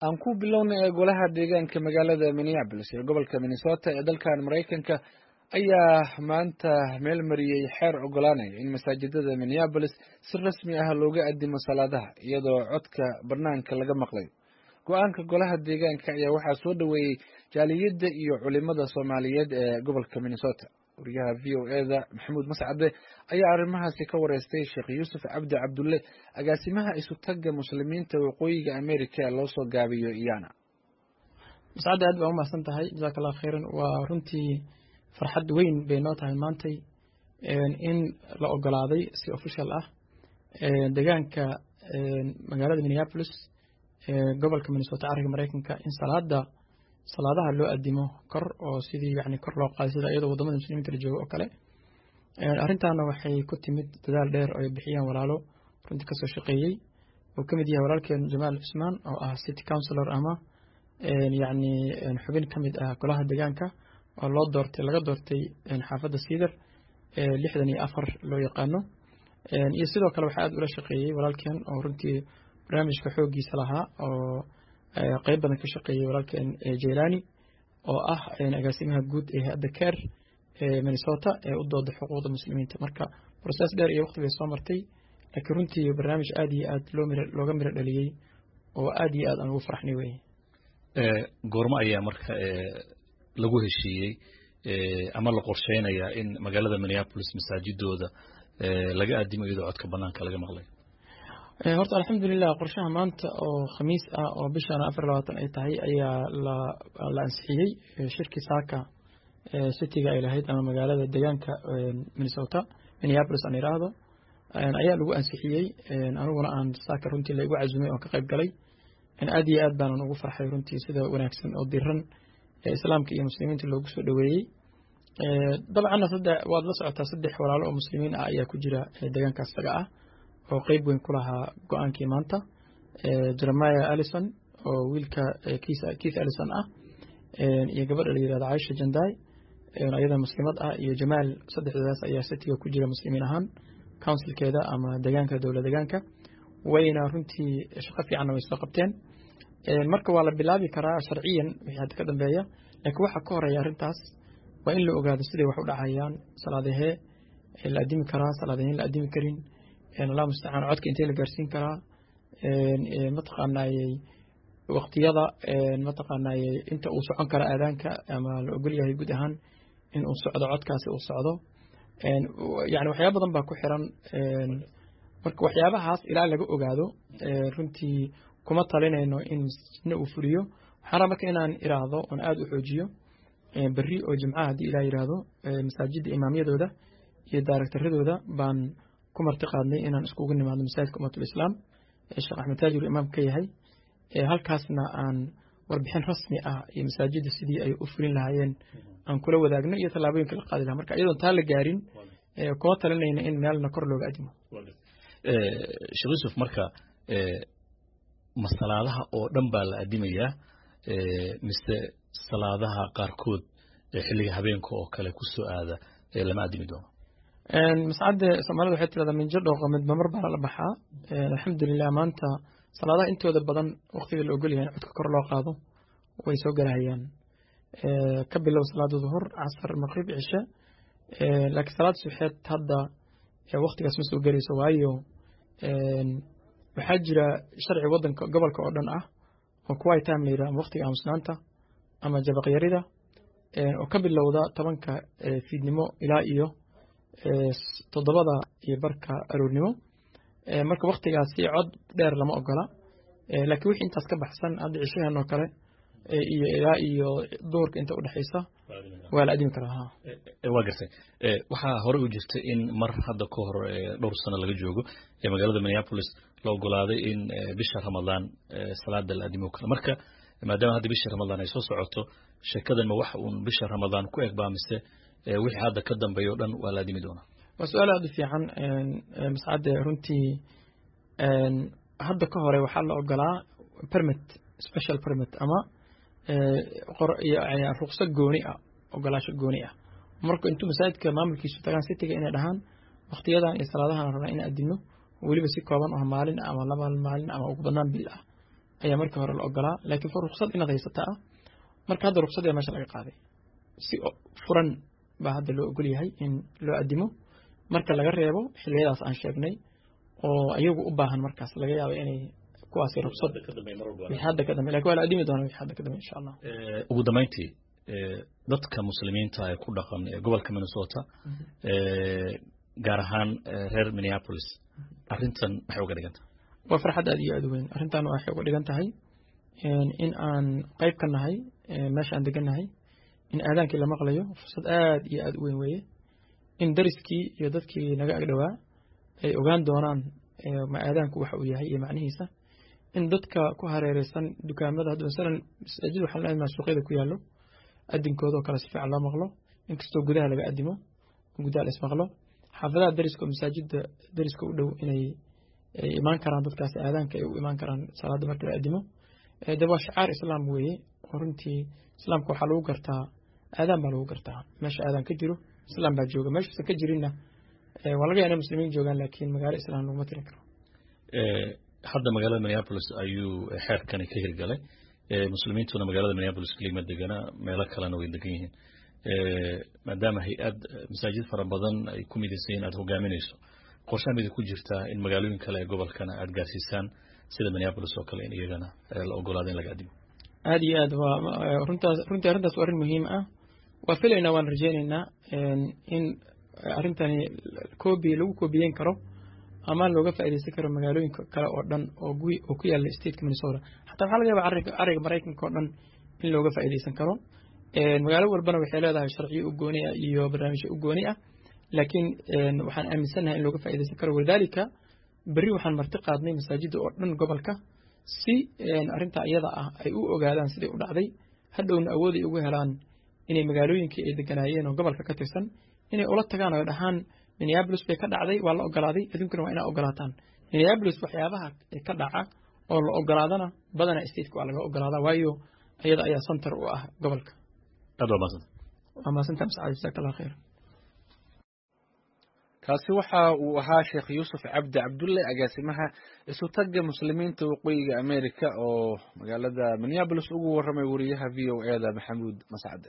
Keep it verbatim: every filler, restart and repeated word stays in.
Aan ku bilownay ee golaha deegaanka magaalada Minneapolis ee gobolka Minnesota ee dalkan Maraykanka ayaa maanta meel mariyey xeer ogolaanaya in masaajidada Minneapolis si rasmi ah looga addimo salaadaha iyadoo codka banaanka laga maqlayo. Go'aanka golaha deegaanka ayaa waxaa soo dhoweeyey jaaliyadda iyo culimada Soomaaliyeed ee gobolka Minnesota. Wariyaha V O E-da Maxamuud Mascade ayaa arrimahaasi ka wareystay Sheekh Yuusuf Cabdi Cabdulle, agaasimaha isu-tagga Muslimiinta Waqooyiga Amerika ee loo soo gaabiyo IYANA. Mascade, aad baa umahadsan tahay, jazaak Allah khayran. Waa runtii farxad weyn bay noo tahay maantay in la ogolaaday si official ah deegaanka magaalada Minneapolis ee gobolka Minnesota, cariga Maraykanka, in salaada salaadaha loo addimo kor oo sidii yani kor loo qaaday sida iyadoo wadamada muslimiinta la joogo oo kale. Arrintaana waxay ku timid dadaal dheer oo ay bixiyeen walaalo runtii kasoo shaqeeyey, uu ka mid yahay walaalkeen Jamaal Cusmaan oo ah city councilor ama yacni xubin ka mid ah golaha deegaanka oo loo doortay, laga doortay xaafadda Cedar ee lixdan iyo afar loo yaqaano. Iyo sidoo kale waxaa aad ula shaqeeyey walaalkeen oo runtii barnaamijka xooggiisa lahaa oo qeyb badan ka shaqeeyey, walaalkeen Jailani oo ah agaasimaha guud ee hay'adda CAIR ee Minnesota ee u dooda xuquuqda muslimiinta. Marka process dheer iyo waqti bay soo martay, laakiin runtii barnaamij aad iyo aad loo miro looga miro dhaliyey oo aad iyo aad aan ugu farxnay weye. Goormo ayaa marka lagu heshiiyey ama la qorsheynayaa in magaalada Minneapolis masaajidooda laga addimo iyadoo codka banaanka laga maqlay? Horta alxamdulilah, qorshaha maanta oo Khamiis ah oo bishaan afar labaatan ay tahay ayaa la la ansixiyey. Shirkii saaka cityga ay lahayd ama magaalada deegaanka Minnesota, Minneapolis aan iraahdo, ayaa lagu ansixiyey. Aniguna aan saaka runtii la igu casumay oon ka qayb galay. Aad iyo aad baanan ugu farxay runtii sida wanaagsan oo diran ee Islaamka iyo muslimiinta loogu soo dhoweeyey. Dabcanna saddex waad la socotaa, saddex walaalo oo muslimiin ah ayaa ku jira deegaankaas isaga ah oo qeyb weyn ku lahaa go'aankii maanta: Jeremiah Allison oo wiilka Keith Allison ah, iyo gabadha la yirahdo Caisha Janday ayada muslimad ah, iyo Jamaal. Saddexdoodaas ayaa cityga ku jira muslimiin ahaan councilkeeda ama deegaanka, dowlad deegaanka. Wayna runtii shaqo fiicanna way soo qabteen. Marka waa la bilaabi karaa sharciyan wixii hadda ka dambeeya, laakiin waxa ka horeeya arrintaas waa in la ogaado siday wax u dhacayaan, salaadahee la addimi karaa, salaadaheen la addimi karin, Allah mustacaan, codka intee la gaarsiin karaa, mataqaanayey waqtiyada, mataqaanayey inta uu socon kara aadaanka ama la ogol yahay guud ahaan in uu socdo, codkaasi uu socdo. Yani waxyaaba badan baa ku xiran. Marka waxyaabahaas ilaa laga ogaado runtii kuma talinayno in masjidna uu fuliyo. Waxaan rabaa marka inaan iraahdo oon aada u xoojiyo, berri oo Jimcaha haddii Ilaah yiraahdo, masaajidda imaamyadooda iyo daaragtaradooda baan ku marti qaadnay inaan iskugu nimaadno masaajidka Ummatul Islaam ee Sheekh Axmed Taajir imaam ka yahay, halkaasna aan warbixin rasmi ah iyo masaajidda sidii ay u fulin lahaayeen aan kula wadaagno iyo tallaabooyinka la qaadi lahaa. Marka iyadoon taa la gaarin kuma talinayna in meelna kor looga adimo. Sheekh Yuusuf, marka ma salaadaha oo dhan baa la addimayaa mise salaadaha qaarkood xilliga habeenka oo kale ku soo aada lama addimi doono? Mascadde, Soomaalida waxay tirahdaa minjo dhooqa midba mar baa lala baxaa. Alxamdulilah, maanta salaadaha intooda badan waqtiga la ogol yahay in codka kor loo qaado way soo galahayaan, ka bilow salaada duhur, casar, maqrib, cishe. Laakiin salaada suxeed hadda waqtigaas ma soo gelayso, waayo waxaa jira sharci wadanka gobolka oo dhan ah oo quiet time la yidhaha ama waqtiga aamusnaanta ama jabaqyarida oo ka bilowda tobanka fiidnimo ilaa iyo toddobada iyo barka aroornimo. Marka waqtigaasi cod dheer lama ogola, laakiin wixii intaas ka baxsan hadda cishahan oo kale iyo ilaa iyo duhurka inta udhexaysa waa la adimi karaa. Waa gartay. Waxaa hore u jirtay in mar hadda ka hor dhowr sano laga joogo ee magaalada Minneapolis la ogolaaday in bisha Ramadaan salaada la addimo karo. Marka maadaama hadda bisha Ramadaan ay soo socoto, sheekadan ma wax uun bisha Ramadaan ku eg baa mise wixii hadda ka dambeeya o dhan waa la addimi doonaa? Waa su'aal aada u fiican, Mascade. Runtii hadda ka hore waxaa la ogolaa permit, special permit ama ruqso gooni ah, ogolaasho gooni ah, marka intuu masaajidka maamulkiisu tagaan cityga inay dhahaan waqtiyadan iyo salaadahan rabnaa in adino, weliba si kooban oo maalin ama laba maalin ama ugu badnaan bil ah. Ayaa markii hore la ogolaa, laakiin ruqsad inaad haysata ah. Marka hadda ruqsad ayaa meesha laga qaaday, si furan baa hadda loo ogol yahay in loo adimo, marka laga reebo xilliyadaas aan sheegnay oo iyagu u baahan markaas laga yaabo inay kuwaasi ruqsad wixii hadda ka dambe, lakin waa la adimi doona wixii hadda ka dambe, insha Allah. Ugu dambeyntii, dadka Muslimiinta ee ku dhaqan gobolka Minnesota, gaar ahaan reer Minneapolis, arrintan maxay uga dhigan tahay? Waa farxad aad iyo aad u weyn. Arrintan waxay uga dhigan tahay in aan qayb ka nahay meesha aan degannahay in aadaankii la maqlayo. Fursad aad iyo aad u weyn weeye in dariskii iyo dadkii naga agdhowaa ay ogaan doonaan ma aadaanku waxa uu yahay iyo macnihiisa, in dadka ku hareereysan dukaamada hadda masalan masaajid waxaan leenahay suuqyada ku yaallo adinkooda oo kale si fiican loo maqlo, inkastoo gudaha laga adimo, gudaha la ismaqlo. Xaafadaha dariska oo masaajida dariska u dhow inay ay imaan karaan dadkaasi aadaanka ay u imaan karaan salaada marka la adimo. De waa shicaar Islaam weeye oo runtii Islaamka waxaa lagu gartaa aadaan baa lagu gartaa. Meesha aadaan ka jiro Islaam baa jooga, meeshuusan ka jirinna waa laga yaaba inay Muslimiin joogaan, laakiin magaalo Islaam laguma tirin karo. Hadda magaalada Minneapolis ayuu xeerkani ka hirgalay. Muslimiintuna magaalada Minneapolis keliya ma degana, meelo kalena way degan yihiin. Maadaama hay-ad masaajid fara badan ay ku midaysan yihiin aad hogaaminayso, qorshaha mid ku jirtaa in magaalooyin kale ee gobolkana aad gaarsiisaan sida Minneapolis oo kale, in iyagana la ogolaado in laga adimo? Aad iyo aad, waa runtaas. Runtii arrintaas waa arrin muhiim ah. Waa filaynaa, waan rajaynaynaa in arrintani koobi lagu koobiyeyn karo ama looga faa'iidaysan karo magaalooyinka kale oo dhan oo gu oo ku yaalla stateka Minnesota. Xataa waxaa laga yaaba carriga carriga Maraykanka oo dhan in looga faa'iidaysan karo. Magaalo walbana waxay leedahay sharciyo u gooni ah iyo barnaamijyo u gooni ah, laakiin waxaan aaminsannahay in looga faa'iidaysan karo. Walidaalika berri waxaan marti qaadnay masaajidda oo dhan gobolka si arrintaa iyada ah ay u ogaadaan siday u dhacday, hadhowna awooday ugu helaan inay magaalooyinkii ay deganaayeen oo gobolka ka tirsan inay ula tagaan oo dhahaan Minneapolis bay ka dhacday, waa la ogolaaday, adduunkana waa inaa ogolaataan. Minneapolis waxyaabaha ka dhaca oo la ogolaadana badanaa stateka waa laga ogolaadaa, waayo iyada ayaa center u ah gobolka. Aad waa mahadsanta. Waa mahadsantaha Mascad, jazaak Allah khayr. Kaasi waxa uu ahaa Sheekh Yuusuf Cabdi Cabdulle, agaasimaha Isutagga Muslimiinta Waqooyiga America, oo magaalada Minneapolis ugu warramay wariyaha V O A da Maxamuud Mascade.